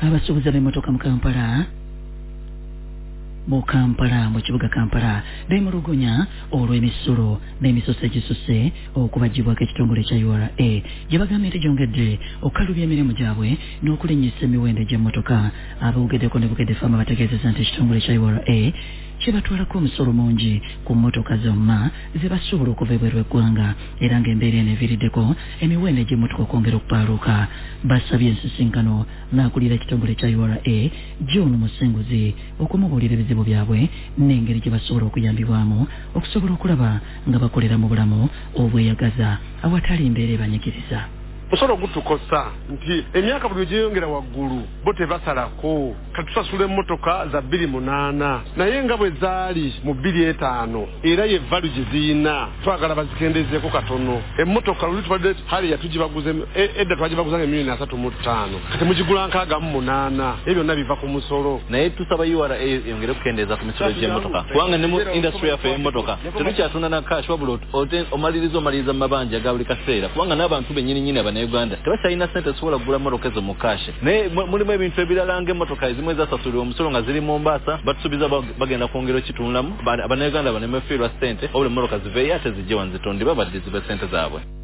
Abasuubuzi ab'emmotoka mu Kampala mu Kampala mu kibuga Kampala beemulugunya olw'emisolo n'emisoso egisusse okubaggyibwako ekitongole ekya URA gye bagambye nti gyongedde okukalubya emirimu gyabwe n'okulinnyisa emiwendo egy'emmotoka. Aboogeddeko ne Bukedde Farm bategeezezza nti ekitongole kya URA kibatwalako omusolo mungi ku mmotoka zonna ze basuubula okuva ebweru w'eggwanga era ng'embeera eno eviiriddeko emiwendo egy'emmotoka okwongera okupaaluuka. Basabye ensisinkano n'akulira ekitongole kya ura John Musinguzi okumubuulira ebizibu byabwe n'engeri gye basobola okuyambibwamu okusobola okulaba nga bakolera mu bulamu obweyagaza awatali mbeera ebanyigiriza. Omusolo gutukosa nti emyaka buli lwegyeyongera waggulu bo tebasalako. Kati tusasula emmotoka za bbiri munaana naye nga bwe zaali mu bbiri etaano era ye value gye ziyina. Twagala bazikendezeeko katono. Emmotoka luli tubadde Harrier tugibaguza edda twagibaguzanga emiliyoni 35 kati mugigula 68. Ebyo byonna biva ku musolo. Naye tusaba URA eyongere okukendeeza ku misolo gy'emmotoka kubanga ne mu industry yaffe ey'emmotoka tetukyatunda na cash wabula omaliriza omaliriza mu mabanja ga buli kaseera kubanga n'abantu bennyini nnyini Abannayuganda tebakyalina ssente zisobola kugula mmotoka ezo mu cash. Naye mulimu ebintu ebirala ng'emmotoka ezimu ezasasulirwa omusolo nga ziri Mombasa batusuubiza bagenda kwongera okitunulamu Abannayuganda baleme fiirwa ssente wabula emmotoka ziveeyo ate zijje wano zitundibwe baddizibwe ssente zaabwe.